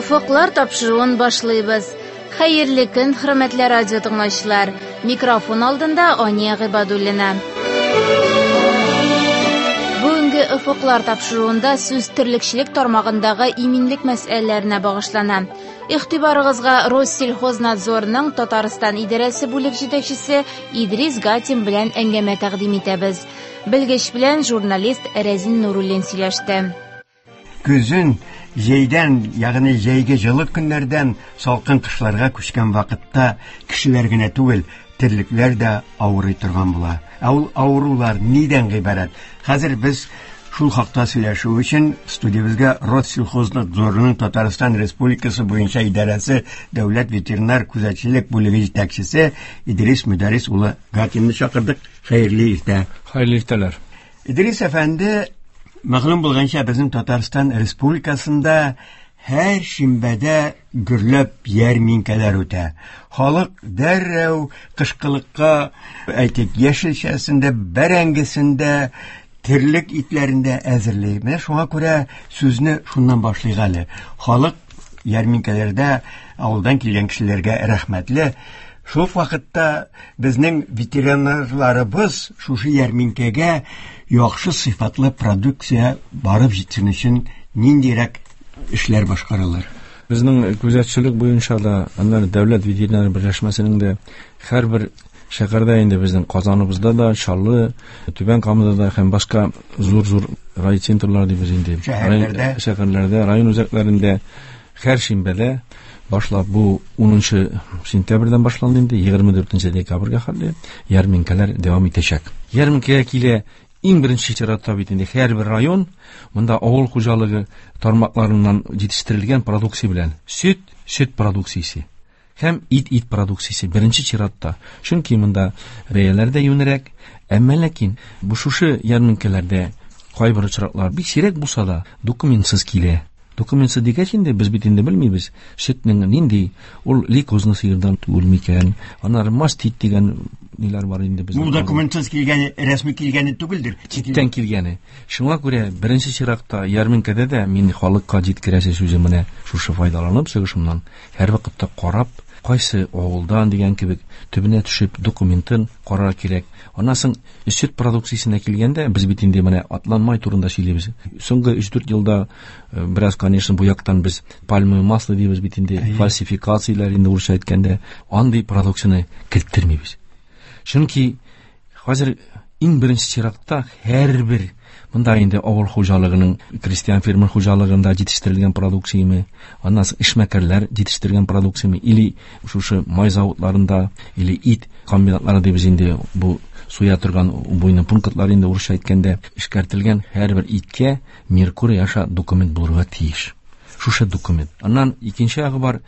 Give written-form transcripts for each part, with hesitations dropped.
Офыклар тапшыруын башлыйбыз. Хәерле көн, хөрмәтле радио тыңлаучылар. Микрофон алдында Ания Гыйбадуллина. Бүгенге Офыклар тапшыруында сүз терлекчелек тармагындагы иминлек мәсьәләләренә багышлана. Игътибарыгызга Россельхознадзорның Татарстан идарәсе бүлек җитәкчесе Идрис Гатин белән әңгәмә тәкъдим итәбез. Белгеч белән журналист Рәзин Нуруллин сөйләште. Көзен җәйдән, ягъни җәйге җылы көннәрдән салкын кышларга күчкән вакытта кешеләр генә түгел, терлекләр дә авырый торган була. Ә ул авырулар нидән гыйбарәт? Хәзер без шул хакта сөйләшү өчен студиябезгә Россельхознадзорның Татарстан Республикасы буенча идарәсе дәүләт ветеринар күзәтчелек бүлеге җитәкчесе Идрис Мөдәррис улы Гатинны чакырдык. Хәерле иртә. Хәерле иртәләр. Идрис әфәнде, мәгълүм булганча, безнең Татарстан Республикасында һәр шимбәдә гөрләп ярминкәләр үтә. Халык дәррәү кышкылыкка, әйтик, яшелчәсен дә, бәрәңгесен дә, терлек итләрен дә әзерли. Менә шуңа күрә сүзне шуннан башлыйк әле. Халык ярминкәләрдә авылдан килгән кешеләргә рәхмәтле. Шул ук вакытта безнең ветеринарларыбыз шушы ярминкәгә яхшы сыйфатлы продукция барып җитсен өчен ниндирәк эшләр башкаралар? Безнең күзәтчелек буенча да, аннары дәүләт ветеринар берләшмәсенең дә һәрбер шәһәрдә инде безнең Казаныбызда да, Чаллы, Түбән Камада да һәм башка зур-зур райцентрлар дибез инде. Шәһәрләрдә. Шәһәрләрдә, район үзәкләрендә һәр шимбәдә башлап бу 10 сентябрьдән башланды инде, 24 декабрьгә хәтле ярминкәләр дәвам итәчәк. Ярминкәгә килә иң беренче чиратта бит инде һәрбер район монда авыл хуҗалыгы тармакларыннан җитештерелгән продукция белән сөт, сөт продукциясе һәм ит, ит продукциясе беренче чиратта. Чөнки монда бәяләр дә юньрәк, әмма ләкин бу шушы ярминкәләрдә кайбер очраклар бик сирәк булса да документсыз килә. Документсыз дигәч инде без бит инде белмибез сөтнең нинди, ул лейкозны сыердан түгел микән, аннары мастит дигән ниләр бар инде безнең. Бу документсыз килгәне, рәсми килгәне түгелдер. Читтән килгәне. Шуңа күрә беренче чиратта ярминкәдә дә мин халыкка җиткерәсе сүзе менә шушы файдаланып чыгышымнан һәрвакытта карап, кайсы авылдан дигән кебек төбенә төшеп документын карарга кирәк. Аннан соң сөт продукциясенә килгәндә, без бит инде менә атланмай турында сөйлибез. Соңгы өч-дүрт елда бераз, конечно, бу яктан без пальмовое масло дибез бит инде, фальсификацияләр инде урысча әйткәндә, андый продукцияне керттермибез. Чөнки хәзер иң беренче чиратта һәрбер монда инде авыл хуҗалыгының, крестьян фермер хуҗалыгында җитештерелгән продукцияме, аннан соң эшмәкәрләр җитештергән продукцияме, или шушы май заводларында, или ит комбинатлары дибез инде, бу суя торган убойный пунктлар инде урысча әйткәндә, эшкәртелгән һәрбер иткә Меркурий аша документ булырга тиеш. Шушы документ. Аннан икенче ягы бар.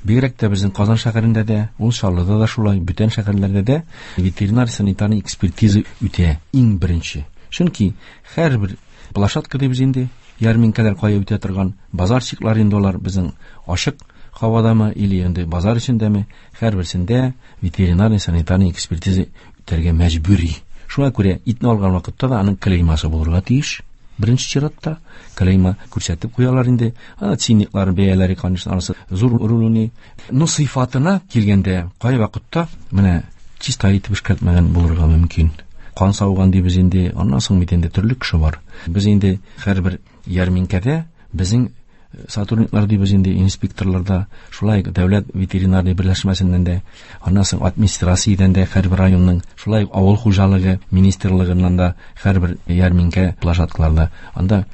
Бигрәк тә безнең Казан шәһәрендә дә, ул Чаллыда да шулай, бүтән шәһәрләрдә дә ветеринар санитарный экспертиза үтә иң беренче. Чөнки һәрбер площадка дибез инде, ярминкәләр кая үтә торган базарчиклар инде алар безнең ачык һавадамы или инде базар эчендәме, һәрберсендә ветеринарный санитарный экспертиза үтәргә мәҗбүри. Шуңа күрә итне алган вакытта да аның клеймасы булырга тиеш. Беренче чиратта клейма күрсәтеп куялар инде. Ана ценниклар, бәяләре, конечно, анысы зур роль уйный. Но сыйфатына килгәндә, кай вакытта менә чиста итеп эшкәртмәгән булырга мөмкин. Кан сауган дибез инде, аннан соң бит инде төрле кеше бар. Без инде һәрбер ярминкәдә безнең сотрудниклар дибез инде, инспекторларда, шулай ук дәүләт ветеринарный берләшмәсеннән дә, аннан соң администрациядән дә һәрбер районның, шулай ук авыл хуҗалыгы министрлыгыннан да һәрбер ярминкә площадкаларда анда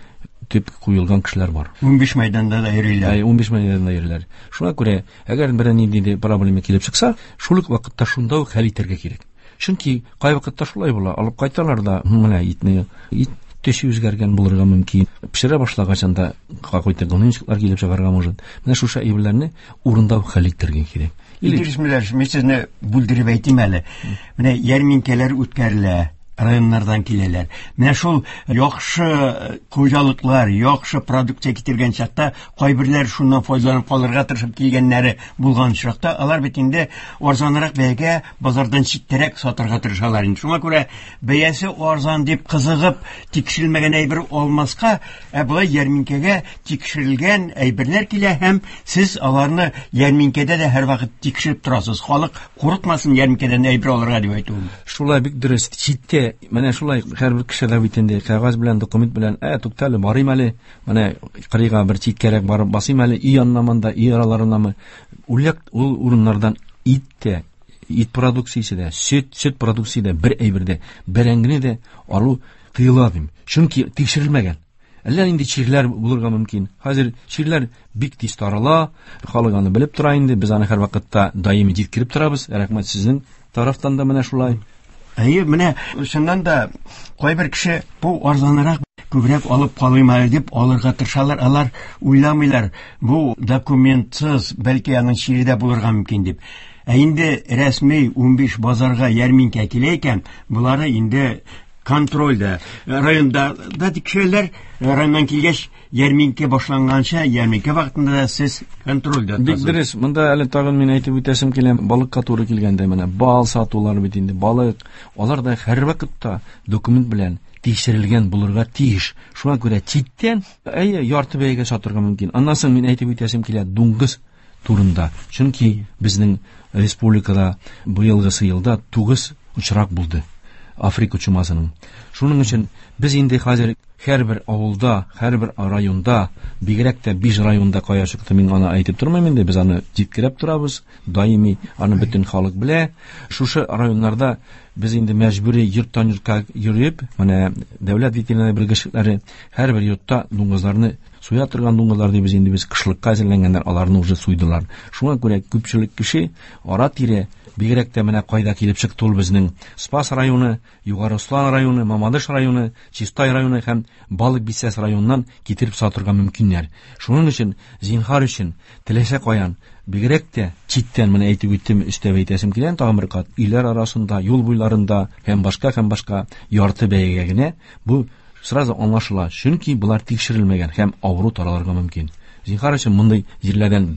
төп куелган кешеләр бар. 15 мәйданда да йөриләр. Әй, 15 мәйданда йөриләр. Шуңа күрә, әгәр берәр нинди дә проблема килеп чыкса, шул ук вакытта шунда ук хәл итәргә кирәк. Чөнки кай вакытта шулай була, алып кайталар да, менә итне, ит төсе үзгәргән булырга мөмкин. Пешерә башлагач анда какой-то гнойничклар килеп чыгарга может. Менә шушы әйберләрне урында ук хәл итәргә кирәк. Или Идрис Мөдәррис, мин сезне бүлдереп әйтим әле. Менә ярминкәләр үткәрелә. районнардан киләләр. Менә шул яхшы хуҗалыклар, яхшы продукция китергән чакта кайберләр шуннан файдаланып калырга тырышып килгәннәре булган очракта, алар бит инде арзанрак бәягә базардан читтәрәк сатырга тырышалар инде. Шуңа күрә бәясе арзан дип кызыгып тикшерелмәгән әйбер алмаска, ә болай ярминкәгә тикшерелгән әйберләр килә һәм сез аларны ярминкәдә дә һәрвакыт тикшереп торасыз. Халык курыкмасын ярминкәдән әйбер алырга дип әйтүем. Шулай бик дөрес. Читтә менә шулай һәрбер кеше дә бит инде кәгазь белән, документ белән, туктале, барыйм әле, менә кырыйга бер читкәрәк барып басыйм әле, өй янына монда, өй араларынамы. Үлек ул урыннардан ит тә, ит продукциясе дә, сөт продукциясе дә бер әйбер дә, бәрәңгене дә алу тыела дим. Чөнки тикшерелмәгән. Әллә нинди чирләр булырга мөмкин. Хәзер чирләр бик тиз тарала, халык аны белеп тора инде. Без аны һәрвакытта даими җиткереп торабыз. Рәхмәт сезнең тарафтан да менә шулай. Әйе, менә чыннан да кайбер кеше бу арзанрак күбрәк алып калыйм әле дип алырга тырышалар. Алар уйламыйлар, бу документсыз, бәлки аның чире дә булырга мөмкин дип. Ә инде рәсми 15 базарга ярминкә килә икән, булары инде контрольдә. Районда да тикшерәләр, районнан килгәч, ярминкә башланганча, ярминкә вакытында да сез контрольдә Бик тотасыз. дөрес. Монда әле тагын мин әйтеп үтәсем килә, балыкка туры килгәндә менә бал сатулар бит инде, балык, алар да һәрвакытта документ белән тикшерелгән булырга тиеш. Шуңа күрә читтән, әйе, ярты бәягә сатырга мөмкин. Аннан соң мин әйтеп үтәсем килә дуңгыз турында. Чөнки безнең республикада быелгысы елда 9 очрак булды Африка чумасының. Шуның өчен без инде хәзер һәрбер авылда, һәрбер районда, бигрәк тә 5 районда кая чыкты, мин аны әйтеп тормыйм инде, без аны җиткереп торабыз, даими аны бөтен халык белә. Шушы районнарда без инде мәҗбүри йорттан йортка йөреп, менә дәүләт ветеринария белгечлекләре һәрбер йортта дуңгызларны суя торган дуңгызлар дибез инде, без кышлыкка әзерләнгәннәр, аларны уже суйдылар. Шуңа күрә күпчелек кеше ара-тирә, бигрәк тә менә кайда килеп чыкты ул безнең Спас районы, Югары Ослан районы, Мамадыш районы, Чистай районы һәм Балык Бистәсе районыннан китереп сатырга мөмкиннәр. Шуның өчен, зинһар өчен, теләсә каян, бигрәк тә читтән, менә әйтеп үттем, өстәп әйтәсем килә, тагын бер кат, өйләр арасында, юл буйларында һәм башка, һәм башка ярты бәягә генә бу сразу аңлашыла, чөнки булар тикшерелмәгән һәм авыру таралырга мөмкин. Зинһар өчен мондый җирләрдән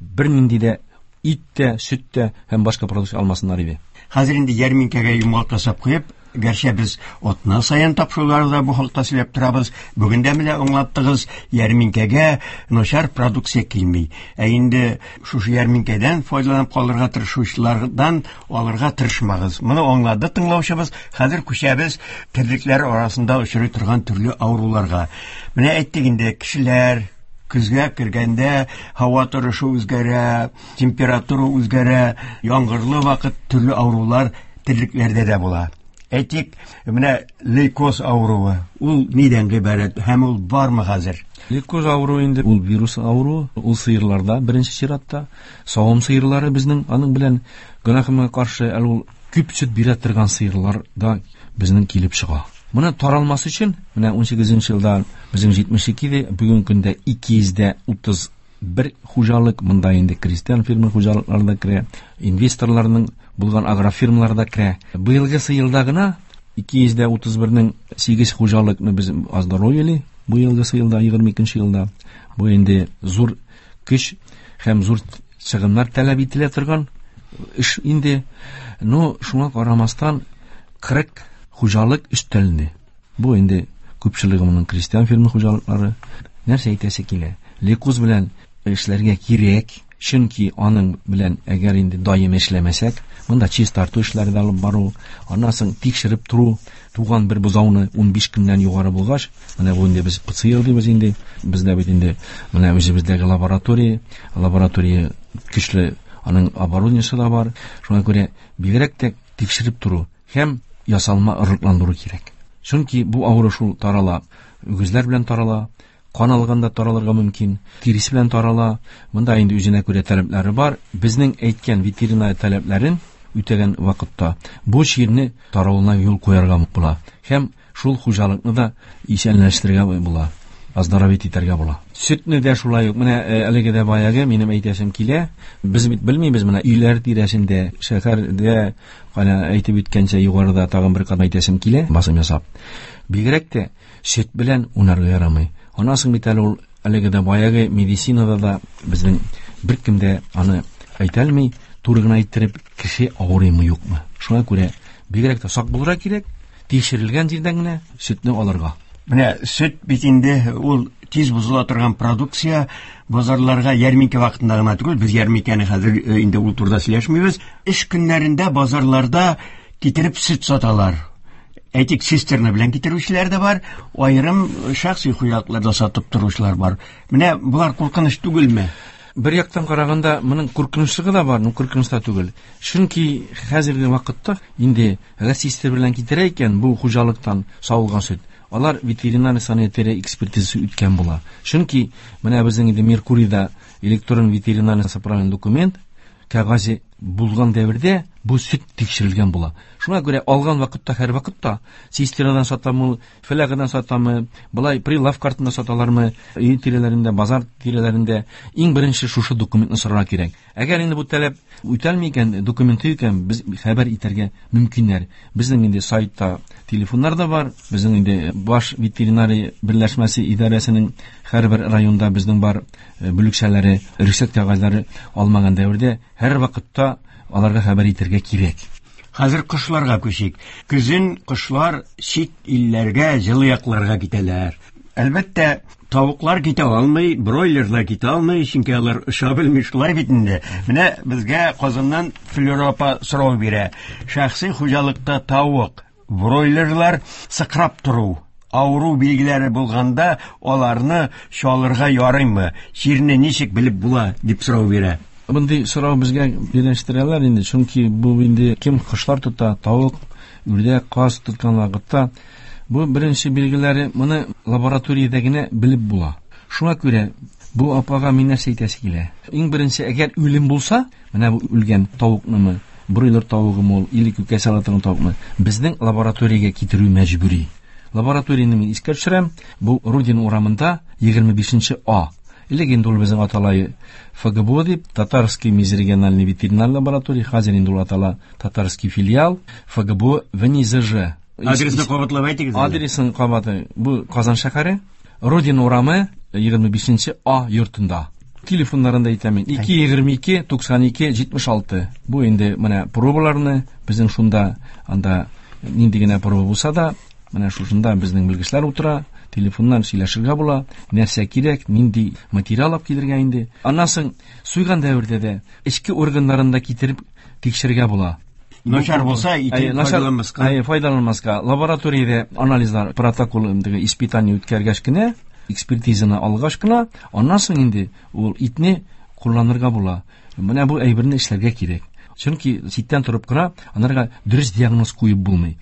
бернинди дә ит тә, сөт тә һәм башка продукция алмасыннар иде. Хәзер инде ярминкәгә йомгак ясап куеп, гәрчә без атна саен тапшыруларда бу хакта сөйләп торабыз, бүген дә менә аңлаттыгыз, ярминкәгә начар продукция килми. Ә инде шушы ярминкәдән файдаланып калырга тырышучылардан алырга тырышмагыз. Моны аңлады тыңлаучыбыз. Хәзер күчәбез терлекләр арасында очрый торган төрле авыруларга. Менә әйттек инде, кешеләр көзгә кергәндә һава торышы үзгәрә, температура үзгәрә, яңгырлы вакыт төрле авырулар терлекләрдә дә була. Әйтик, менә лейкоз авыруы, ул нидән гыйбарәт һәм ул бармы хәзер? Лейкоз авыруы инде ул вирус авыруы, ул сыерларда беренче чиратта, савым сыерлары безнең аның белән гөнаһыма каршы әле ул күп сөт бирә торган сыерлар да безнең килеп чыга. Моны таралмас өчен, менә унсигезенче елда безнең җитмеш ике иде, бүгенге көндә ике йөз дә утыз бер хуҗалык, монда инде крестьян фермер хуҗалыклары да керә, инвесторларның булган агрофирмалар да керә. Быелгысы елда гына ике йөз дә утыз бернең сигез хуҗалыкны без оздоровили, быелгысы елда, егерме икенче елда. Бу инде зур көч һәм зур чыгымнар таләп ителә торган эш инде. Но шуңа карамастан 40 хуҗалык өстәлде. Бу инде күпчелеге моның крестьян фермер хуҗалыклары. Нәрсә әйтәсе килә? Лейкоз белән эшләргә кирәк, чөнки аның белән әгәр инде даими эшләмәсәк, монда чистарту эшләре дә алып бару, аннан соң тикшереп тору, туган бер бозауны 15 көннән югары булгач, менә бу инде без ПЦР дибез инде, бездә бит инде менә үзебездәге лаборатория, лаборатория көчле, аның оборудованиесе да бар. Шуңа күрә бигрәк тә тикшереп тору һәм ясалма орлыкландыру кирәк. Чөнки бу авыру шул тарала, үгезләр белән тарала, кан алганда таралырга мөмкин, тиресе белән тарала. Монда инде үзенә күрә таләпләре бар. Безнең әйткән ветеринария таләпләрен үтәгән вакытта бу чирне таралуына юл куярга була. Һәм шул хуҗалыкны да исәнләштерергә була. оздоровить итәргә була. Сөтне дә шулай ук менә әлеге дә баягы минем әйтәсем килә. Без бит белмибез менә өйләр тирәсендә, шәһәрдә кана әйтеп үткәнчә югарыда тагын бер кат әйтәсем килә, басым ясап. Бигрәк тә сөт белән уйнарга ярамый. Аннан соң бит әле ул әлеге дә баягы медицинада да безнең беркем дә аны әйтә алмый, туры гына әйттереп, кеше авырыймы юкмы. Шуңа күрә бигрәк тә сак булырга кирәк, тикшерелгән җирдән генә сөтне алырга. Менә сөт бит инде ул тиз бозыла торган продукция, базарларга ярминкә вакытында гына түгел, без ярминкәне хәзер инде ул турыда сөйләшмибез. Эш көннәрендә базарларда китереп сөт саталар. Әйтик, цистерна белән китерүчеләр дә бар, аерым шәхси хуҗалыкларда сатып торучылар бар. Менә болар куркыныч түгелме? Бер яктан караганда, моның куркынычлыгы да бар, но куркыныч та түгел. Чөнки хәзерге вакытта инде әгәр цистерна белән китерә икән, бу хуҗалыктан савылган сөт, алар ветеринар санитария экспертизасы үткән була. Чөнки менә безнең инде Меркурийда электрон ветеринар сопроводный документ кәгазе булган дәвердә бу сөт тикшерелгән була. Шуңа күрә алган вакытта һәр вакытта цистернадан сатамы, флягыдан сатамы, былай прилавка артында саталармы, өй тирәләрендә, базар тирәләрендә иң беренче шушы документны сорарга кирәк. Әгәр инде бу таләп үтәлми икән, документы икән, без хәбәр итәргә мөмкиннәр. Безнең инде сайтта телефоннар да бар, безнең инде баш ветеринария берләшмәсе идарәсенең һәрбер районда безнең бар бүлекчәләре, рөхсәт кәгазьләре алмаган дәвердә һәр вакытта аларга хәбәр итәргә кирәк. Хәзер кошларга күчик. Көзен кошлар чит илләргә, җылы якларга китәләр. Әлбәттә, тавыклар китә алмый, бройлерлар китә алмый, чөнки алар оча белми, шулай бит инде. Менә безгә Казаннан Флюра апа сорау бирә. Шәхси хуҗалыкта тавык, бройлерлар сыкрап тору, авыру билгеләре булганда аларны чалырга ярыймы? Чирне ничек белеп була дип сорау бирә. Мондый сорау безгә бирәштерәләр инде, чөнки бу инде кем кошлар тота, тавык, үрдәк, каз тоткан вакытта бу беренче билгеләре моны лабораториядә генә белеп була. Шуңа күрә бу апага мин нәрсә әйтәсе килә? Иң беренче, әгәр үлем булса, менә бу үлгән тавыкнымы, бройлер тавыгымы ул, или күкәй сала торган тавыкмы, безнең лабораториягә китерү мәҗбүри. Лабораторияне мин искә төшерәм, бу Рудин урамында 25 А. Элек инде ул безнең аталай ФГБУ дип, Татарский межрегиональный ветеринар лаборатория, хәзер инде ул атала Татарский филиал, ФГБУ ВНИЗЖ. Адресны кабатлап әйтегез әле. Адресын кабатлый. Бу Казан шәһәре, Родина урамы, 25 А йортында. Телефоннарын да әйтәм мин. Ике егерме ике, туксан ике, җитмеш алты. Бу инде менә пробаларны безнең шунда, анда нинди генә проба булса да, менә шушында безнең белгечләр утыра, телефоннан сөйләшергә була, нәрсә кирәк, нинди материал алып килергә инде. Аннан соң суйган дәвердә дә эчке органнарын да китереп тикшерергә була. Начар булса, итен Әйе, начар, файдаланмаска. Әйе, файдаланмаска. Лабораториядә анализлар, протокол инде испытание үткәргәч кенә, экспертизаны алгач кына, аннан соң инде ул итне кулланырга була. Менә бу әйберне эшләргә кирәк. Чөнки читтән торып кына анарга дөрес диагноз куеп булмый.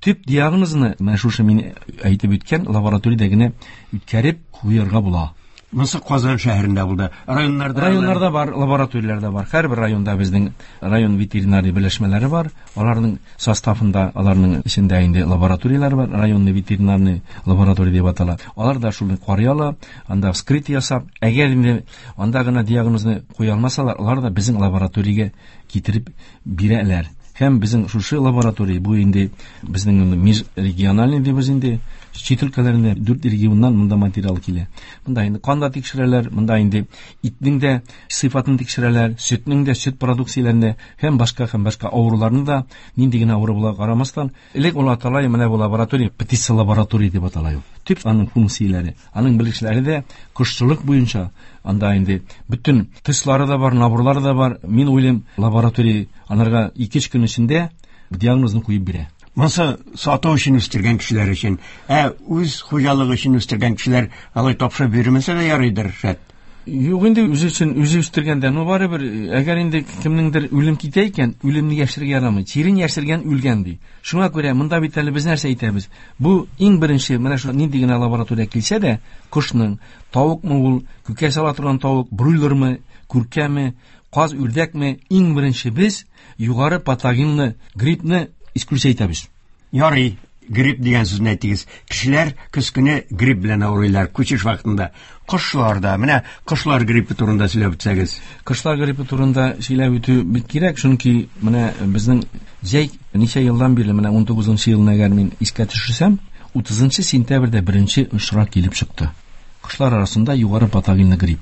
Төп диагнозны менә шушы мин әйтеп үткән лабораториядә генә үткәреп куярга була. Монысы Казан шәһәрендә булды. Районнарда Районнарда бар, лабораторияләрдә бар. Һәрбер районда безнең район ветеринария берләшмәләре бар. Аларның составында, аларның эчендә инде лабораторияләр бар. Районный ветеринарный лаборатория дип атала. Алар да шуны карый ала, анда вскрытие ясап, әгәр инде анда гына диагнозны куя алмасалар, алар да безнең лабораториягә китереп бирәләр. Һәм безнең шушы лаборатория, бу инде безнең межрегиональный дибез инде, чит өлкәләрендә 4 регионнан монда материал килә. Монда инде кан да тикшерәләр, монда инде итнең дә сыйфатын тикшерәләр, сөтнең дә, сөт продукцияләрен дә, һәм башка, һәм башка авыруларны да, нинди генә авыру була карамастан, элек ул атала, менә бу лаборатория, птица лаборатория дип атала ул. Төп аның функцияләре, аның белгечләре дә кошчылык буенча, анда инде бөтен тестлары да бар, наборлары да бар. Мин уйлыйм, лаборатория анарга ике-өч көн эчендә диагнозны куеп бирә. Монысы сату өчен үстергән кешеләр өчен, ә үз хуҗалыгы өчен үстергән кешеләр алай тапшырып бирмәсә дә ярыйдыр, шәт. Юк инде үзе өчен, үзе үстергәндә, ну барыбер, әгәр инде кемнеңдер үлем китә икән, үлемне яшерергә ярамый. Чирен яшергән үлгән ди. Шуңа күрә монда бит әле без нәрсә әйтәбез? Бу иң беренче менә шу нинди генә лаборатория килсә дә, кошның, тавыкмы ул, күкәй сала торган тавык, бройлермы, күркәме, каз, үрдәкме, иң беренче без югары патогенны, гриппны исключать итәбез. Ярый. Грипп дигән сүзне әйттегез. Кешеләр көз көне грипп белән авырыйлар күчеш вакытында. Кошлар да, менә кошлар гриппы турында сөйләп үтсәгез. Кошлар гриппы турында сөйләп үтү бик кирәк, чөнки менә безнең җәй ничә елдан бирле, менә 19 елны әгәр мин искә төшерсәм, 30 сентябрьдә беренче очрак килеп чыкты. Кошлар арасында югары патогенлы грипп.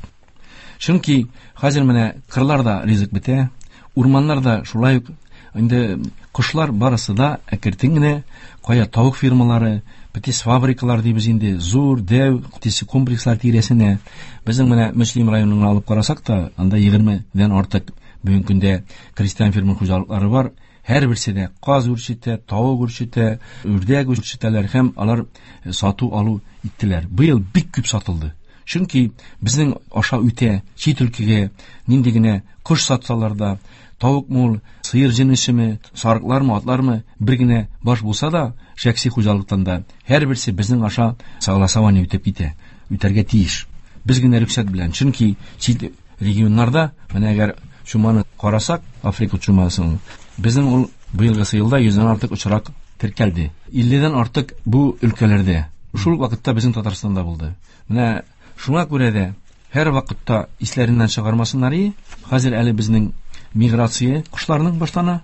Чөнки хәзер менә кырларда ризык бетә, урманнарда шулай ук инде кошлар барысы да әкертен генә кая тавык фирмалары, птицфабрикалар дибез инде, зур, дәү птицкомплекслар тирәсенә. Безнең менә Мөслим районын алып карасак та, анда 20дән артык бүгенге көндә крестьян фермер хуҗалыклары бар. Һәрберсе дә каз үрчетә, тавык үрчетә, үрдәк үрчетәләр һәм алар сату алу иттеләр. Быел бик күп сатылды. Чөнки безнең аша үтә чит өлкәгә нинди генә кош сатсалар да, тавыкмы ул, сыер җенесеме, сарыклармы, атлармы, бер генә баш булса да, шәхси хуҗалыктан да һәрберсе безнең аша согласование үтеп китә, үтәргә тиеш. Без генә рөхсәт белән. Чөнки чит регионнарда, менә әгәр чуманы карасак, Африка чумасын, безнең ул быелгысы елда 100дән артык очрак теркәлде. 50дән артык бу өлкәләрдә. Шул вакытта безнең Татарстанда булды. Менә шуңа күрә дә һәр вакытта исләреннән чыгармасыннар и, хәзер әле безнең миграция кошларның башлана.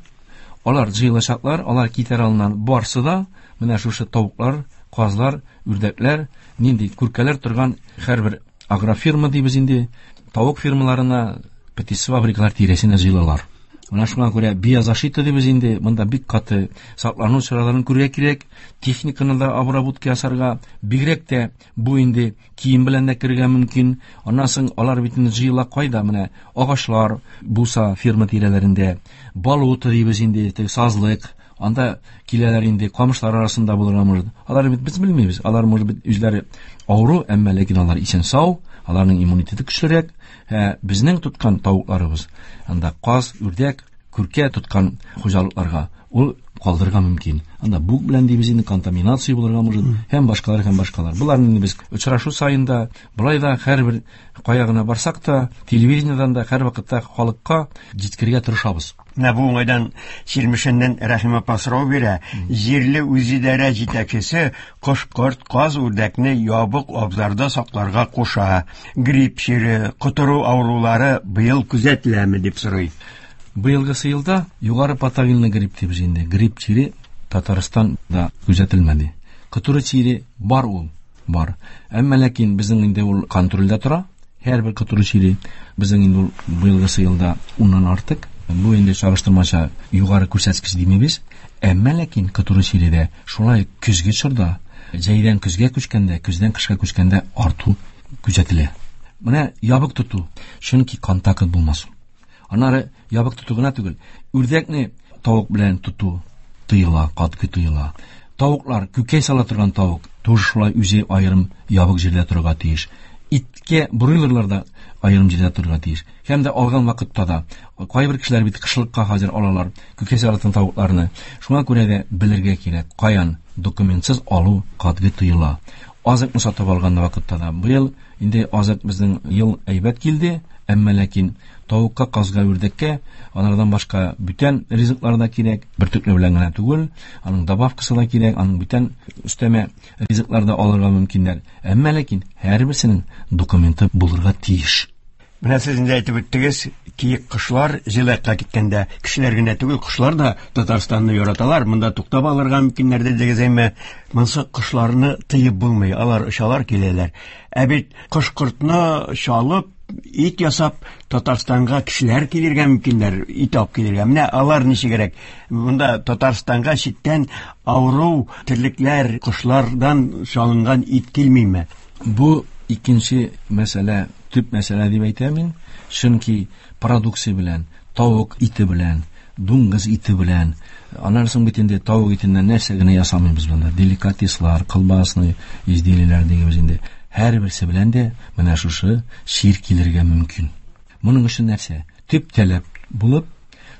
Алар җыелачаклар, алар китәр алыннан барсы да менә шушы тавыклар, казлар, үрдәкләр, нинди күркәләр торган һәрбер агрофирма дибез инде, тавык фирмаларына, птицфабрикалар тирәсенә җыелалар. Менә шуңа күрә биозащита дибез инде, монда бик каты саклану чараларын күрергә кирәк, техниканы да обработка ясарга, бигрәк тә бу инде кием белән дә керергә мөмкин. Аннан соң алар бит инде җыела кайда, менә агачлар булса ферма тирәләрендә, болото дибез инде, теге сазлык, анда киләләр инде, камышлар арасында булырга может. Алар бит без белмибез, алар может быть үзләре авыру, әмма ләкин алар исән сау, аларның иммунитеты көчлерәк. Безнең тоткан тавыкларыбыз, анда каз, үрдәк, күркә тоткан хуҗалыкларга ул калдырырга мөмкин. Анда бук белән дибез инде, контаминация булырга может, һәм башкалар, һәм башкалар. Буларны инде без очрашу саен да, болай да һәрбер кая гына барсак та, телевидениедән дә һәр вакытта халыкка җиткерергә тырышабыз. Менә бу уңайдан Чирмешәннән Рәхим апа сорау бирә. Җирле үзидарә җитәкчесе кош-корт, каз, үрдәкне ябык абзарда сакларга куша. Грипп чире, котыру авырулары быел күзәтеләме дип сорый. Быелгысы елда югары патогенлы грипп дибез инде. Грипп чире Татарстанда күзәтелмәде. Котыру чире бар ул, бар. Әмма ләкин безнең инде ул контрольдә тора. Һәрбер котыру чире безнең инде ул быелгысы елда уннан артык. Бу инде чагыштырмача югары күрсәткеч димибез. Әмма ләкин котыру чире дә шулай көзге чорда, җәйдән көзгә күчкәндә, көздән кышка күчкәндә арту күзәтелә. Менә ябык тоту, чөнки контакт булмасын. Аннары ябык тоту гына түгел, үрдәкне тавык белән тоту тыела, катгый тыела. Тавыклар, күкәй сала торган тавык, тоже шулай үзе аерым ябык җирдә торырга тиеш. Иткә бройлерлар да аерым җирдә торырга тиеш. Һәм дә алган вакытта да кайбер кешеләр бит кышлыкка хәзер алалар күкәй сала торган тавыкларны. Шуңа күрә дә белергә кирәк, каян документсыз алу катгый тыела. Азыкны сатып алган вакытта да быел инде азык безнең ел әйбәт килде, әмма ләкин тавыкка, казга, үрдәккә, алардан башка бүтән ризыклар да кирәк, бөртекле белән генә түгел, аның добавкасы да кирәк, аның бүтән өстәмә ризыклар да алырга мөмкиннәр. Әмма ләкин һәрберсенең документы булырга тиеш. Менә сез инде әйтеп үттегез, киек кошлар җылыякка киткәндә кешеләр генә түгел, кошлар да Татарстанны яраталар, монда туктап алырга мөмкиннәр дидегез, әмма монсы кошларны тыеп булмый, алар очалар, киләләр. Ә бит кош-кортны чалып, ит ясап Татарстанга кешеләр килергә мөмкиннәр, ит алып килергә. Менә алар ничегрәк? Монда Татарстанга читтән авыру терлекләр, кошлардан чалынган ит килмиме? Бу икенче мәсьәлә, төп мәсьәлә дип әйтәм мин. Чөнки продукция белән, тавык ите белән, дуңгыз ите белән, аннан соң бит инде тавык итеннән нәрсә генә ясамыйбыз монда. Деликатеслар, колбасный изделиеләр дигәнебез инде. Һәрберсе белән дә менә шушы чир килергә мөмкин. Моның өчен нәрсә? Төп таләп булып,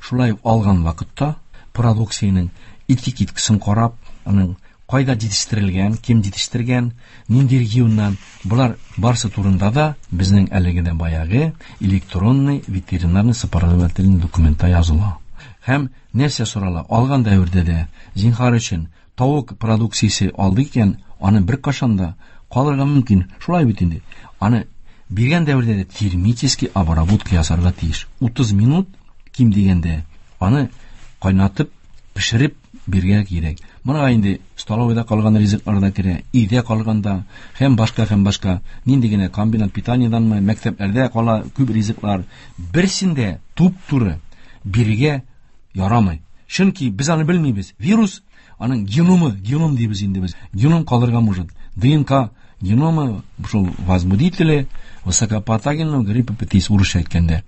шулай ук алган вакытта продукциянең этикеткасын карап, аның кайда җитештерелгән, кем җитештергән, нинди регионнан, болар барсы турында да безнең әлеге дә баягы электронный ветеринарный сопроводительный документта языла. Һәм нәрсә сорала? Алган дәвердә дә зинһар өчен тавык продукциясе алды икән, аны беркайчан да калырга мөмкин. Шулай бит инде. Аны биргән дәвердә дә термический обработка ясарга тиеш. 30 минут ким дигәндә аны кайнатып, пешереп бирергә кирәк. Моңа инде столовыйда калган ризыклар да керә, өйдә калганда һәм башка нинди генә комбинат питаниеданмы, мәктәпләрдә кала күп ризыклар, берсендә туп-туры бирергә ярамый. Чөнки без аны белмибез. Вирус аның геномы, геном дибез инде без. Геном калырга может. ДНК геномы, шул возбудители высокопатогенного гриппа птиц урысча әйткәндә.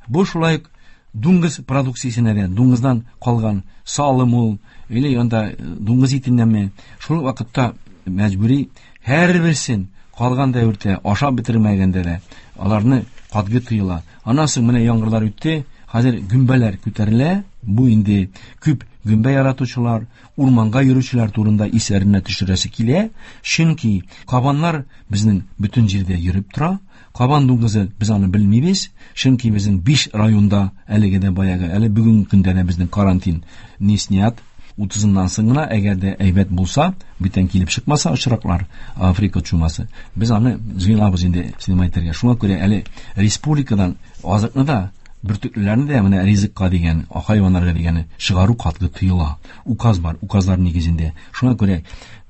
Бу шулай ук дуңгыз продукциясенә дә, дуңгыздан калган салым ул, или анда дуңгыз итеннәнме, шул вакытта мәҗбүри һәрберсен калган дәвердә ашап бетермәгәндә дә аларны катгый тыела. Аннан соң менә яңгырлар үтте, хәзер гөмбәләр күтәрелә. Бу инде күп гөмбә яратучылар, урманга йөрүчеләр турында исләренә төшерәсе килә, чөнки кабаннар безнең бөтен җирдә йөреп тора. Кабан дуңгызы без аны белмибез, чөнки безнең 5 районда әлеге дә баягы, әле бүгенге көндә дә безнең карантин не снят. 30-ыннан соң гына, әгәр дә әйбәт булса, бүтән килеп чыкмаса очраклар, Африка чумасы, без аны җыелабыз инде снимать итәргә. Шуңа күрә әле республикадан азыкны да, бөртеклеләрне дә менә ризыкка дигән, хайваннарга дигәне чыгару катгый тыела. Указ бар, указлар нигезендә. Шуңа күрә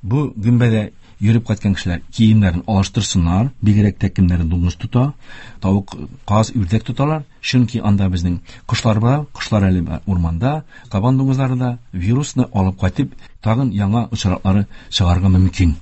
бу гөмбәдә йөреп кайткан кешеләр киемнәрен алыштырсыннар, бигрәк тә кемнәр дуңгыз тота, тавык, каз, үрдәк тоталар, чөнки анда безнең кошлар бар, кошлар әле урманда, кабан дуңгызлары да вирусны алып кайтып, тагын яңа очраклары чыгарга мөмкин.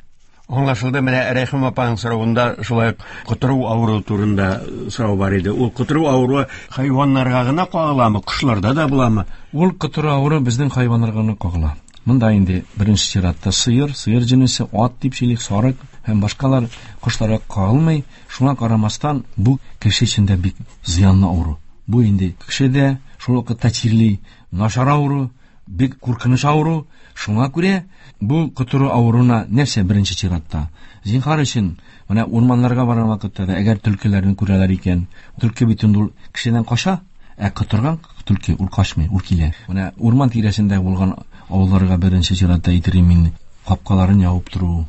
Аңлашылды, менә Рәхим апаның соравында шулай ук котыру авыруы турында сорау бар иде. Ул котыру авыруы хайваннарга гына кагыламы, кошларда да буламы? Ул котыру авыруы безнең хайваннарга гына кагыла. Монда инде беренче чиратта сыер, сыер җенесе, ат дип сөйлик, сарык һәм башкалар кошларга кагылмый. Шуңа карамастан, бу кеше өчен дә бик зыянлы авыру. Бу инде кеше дә шул вакытта чирли, начар авыру, бик куркыныч авыру. Шуңа күрә бу котыру авыруына нәрсә беренче чиратта? Зинһар өчен, менә урманнарга барган вакытта да, әгәр төлкеләрне күрәләр икән, төлке бит инде ул кешедән кача, ә котырган төлке ул качмый, ул килә. Менә урман тирәсендә булган авылларга беренче чиратта әйтер мин, капкаларын ябып тору,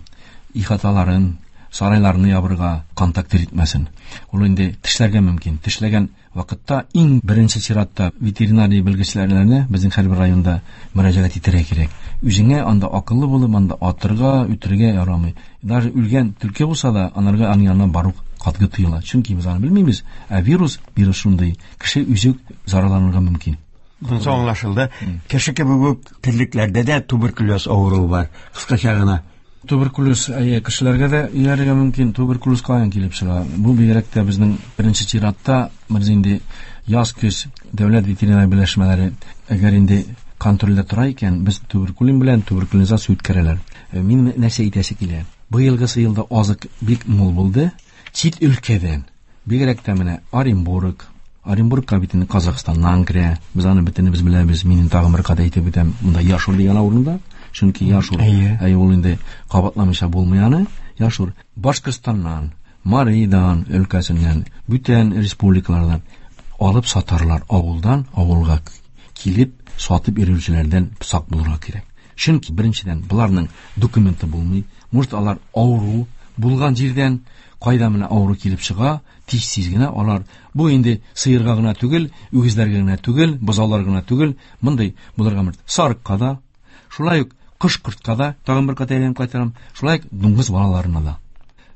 ихаталарын, сарайларны ябырга, контакт итмәсен. Ул инде тешләргә мөмкин. Тешләгән вакытта иң беренче чиратта ветеринария белгечләренә безнең һәрбер районда мөрәҗәгать итәргә кирәк. Үзеңә анда акыллы булып, анда атырга, үтерергә ярамый. Даже үлгән төлке булса да, анарга аның янына бару катгый тыела. Чөнки без аны белмибез. Ә вирус, вирус шундый, кеше үзе зарарланырга мөмкин. Монысы аңлашылды. Кеше кебек үк терлекләрдә дә туберкулез авыруы бар. Кыскача гына. Туберкулез, әйе, кешеләргә дә иярергә мөмкин. Туберкулез каян килеп чыга? Бу бигрәк тә безнең беренче чиратта, без инде яз-көз дәүләт ветеринар берләшмәләре, әгәр инде контрольдә тора икән, без туберкулин белән туберкулинизация үткәрәләр. Мин нәрсә әйтәсе килә? Быелгысы елда азык бик мул булды. Чит өлкәдән, бигрәк тә менә Оренбург, Оренбургка бит инде Казахстаннан керә. Без аны бөтенебез беләбез. Мин тагын бер кат әйтеп үтәм. Монда Яшур дигән авылында, чөнки Яшур, әй, ул инде кабатламыйча булмый аны. Яшур Башкортстаннан, Маридан өлкәсеннән, бүтән республикалардан алып сатарлар. Авылдан авылга килеп сатып йөрүчеләрдән сак булырга кирәк. Чөнки беренчедән буларның документы булмый. Может, алар авыру булган җирдән, кайда менә авыру килеп чыга, тиз-тиз генә алар, бу инде сыерга гына түгел, үгезләргә генә түгел, бозауларга гына түгел, мондый булырга мөмкин. Сарыкка да, шулай ук кош-кортка да, тагын бер кат әйләнеп кайтарам, шулай ук дуңгыз балаларына да.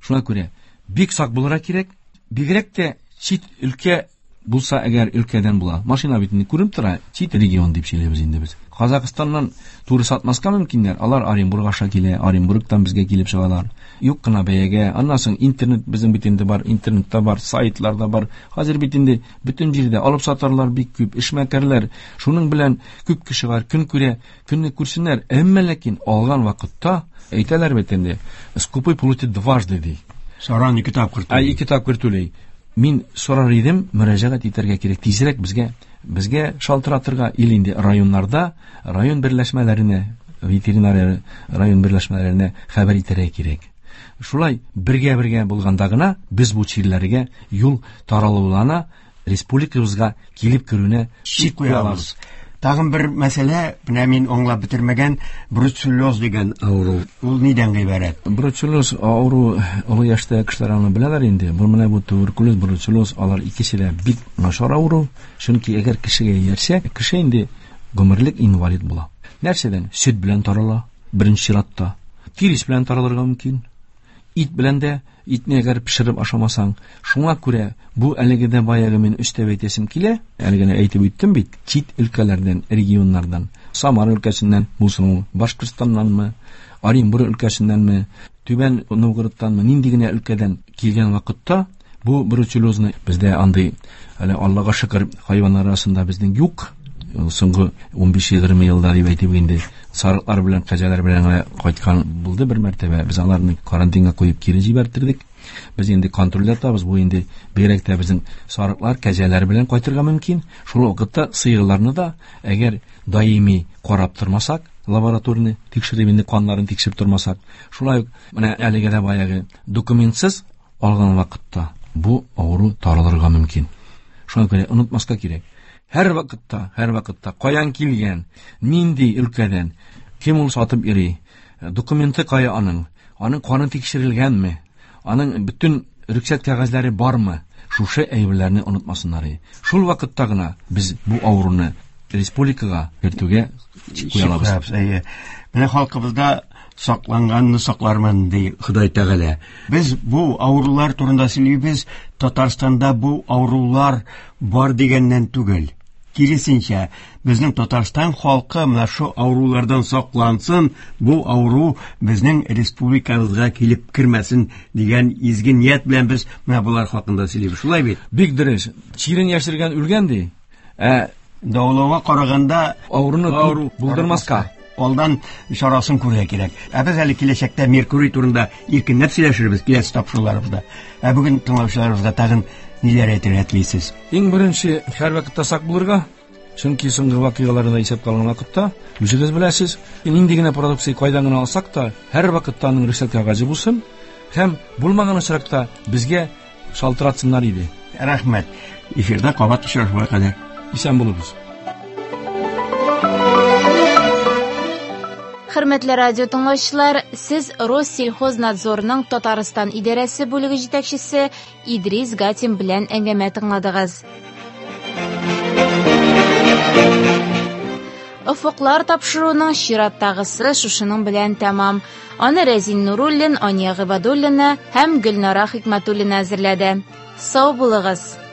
Шуңа күрә бик сак булырга кирәк, бигрәк тә чит өлкә булса, әгәр өлкәдән була. Машина бит инде күренеп тора, чит регион дип сөйлибез инде без. Казахстаннан туры сатмаска мөмкиннәр, алар Оренбург аша килә, Оренбургтан безгә килеп чыгалар. Юк кына бәягә, аннан соң интернет безнең бит инде бар, интернетта бар, сайтларда бар. Хәзер бит инде бөтен җирдә алып сатарлар бик күп, эшмәкәрләр. Шуның белән күп кеше бар, көн күрә, көнне күрсеннәр. Әмма ләкин алган вакытта әйтәләр бит инде, скупой платит дважды ди. Саран ике тапкыр түли. Ике тапкыр түли. Мин сорар идем, мөрәҗәгать итәргә кирәк тизрәк безгә шалтыратырга, или инде районнарда, район берләшмәләренә, ветеринария район берләшмәләренә хәбәр итәргә кирәк. Шулай бергә-бергә булганда гына без бу чирләргә юл таралуына, республикабызга килеп керүенә чик куя алабыз. Тагын бер мәсьәлә, менә мин аңлап бетермәгән бруцеллез дигән авыру. Ул нидән гыйбарәт? Бруцеллез авыру олы яшьтә кешеләр аны беләләр инде. Бу менә бу туберкулез, бруцеллез алар икесе дә бик начар авыру. Чөнки әгәр кешегә иярсә, кеше инде гомерлек инвалид була. Нәрсәдән? Сөт белән тарала, беренче чиратта. Тирес белән таралырга мөмкин. Ит белән дә, итне әгәр пешереп ашамасаң. Шуңа күрә бу әлеге дә баягы мин өстәп әйтәсем килә, әле генә әйтеп үттем бит, чит өлкәләрдән, регионнардан, Самара өлкәсеннән булсын ул, Башкортстаннанмы, Оренбург өлкәсеннәнме, Түбән Новгородтанмы, нинди генә өлкәдән килгән вакытта бу бруцеллезны бездә андый әле Аллага шөкер хайваннар арасында безнең юк. Соңгы 15-20 елда дип әйтеп инде сарыклар белән кәҗәләр белән генә кайткан булды бер мәртәбә. Без аларны карантинга куеп кире җибәртердек. Без инде контрольдә тотабыз. Бу инде бигрәк тә безнең сарыклар, кәҗәләр белән кайтырга мөмкин. Шул вакытта сыерларны да әгәр даими карап тормасак, лабораторны тикшереп инде каннарын тикшереп тормасак, шулай ук менә әлеге дә баягы документсыз алган вакытта бу авыру таралырга мөмкин. Шуңа күрә онытмаска кирәк. Һәр вакытта, һәр вакытта каян килгән, нинди өлкәдән, кем ул сатып йөри, документы кая аның, аның каны тикшерелгәнме, аның бөтен рөхсәт кәгазьләре бармы? Шушы әйберләрне онытмасыннар. Шул вакытта гына без бу авыруны республикага кертүгә чик куя алабыз. Әйе. Менә халкыбызда сакланганны саклармын ди Ходай Тәгалә. Без бу авырулар турында сөйлибез, Татарстанда бу авырулар бар дигәннән түгел. Киресенчә, безнең Татарстан халкы менә шу авырулардан саклансын, бу авыру безнең республикабызга килеп кермәсен дигән изге ният белән без менә болар хакында сөйлибез. Шулай бит? Бик дөрес. Чирен яшергән үлгән ди. Ә дәвалауга караганда авыруны авыру булдырмаска алдан чарасын күрергә кирәк. Ә без әле киләчәктә Меркурий турында иркенләп сөйләшербез киләсе тапшыруларыбызда. Ә бүген тыңлаучыларыбызга тагын ниләр әйтергә телисез? Иң беренче һәрвакытта сак булырга, чөнки соңгы вакыйгаларны да исәпкә алган вакытта, үзегез беләсез, нинди генә продукция кайдан гына алсак та, һәрвакытта аның рөхсәт кәгазе булсын һәм булмаган очракта безгә шалтыратсыннар иде. Рәхмәт. Эфирда кабат очрашуга кадәр. Исән булыгыз. Хөрмәтле радио тыңлаучылар, сез Россельхознадзорның Татарстан идарәсе бүлеге җитәкчесе Идрис Гатин белән әңгәмә тыңладыгыз. Офыклар тапшыруының чираттагысы шушының белән тәмам. Аны Рәзин Нуруллин, Ания Гыйбадуллина һәм Гөлнара Хикмәтуллина әзерләде. Сау булыгыз!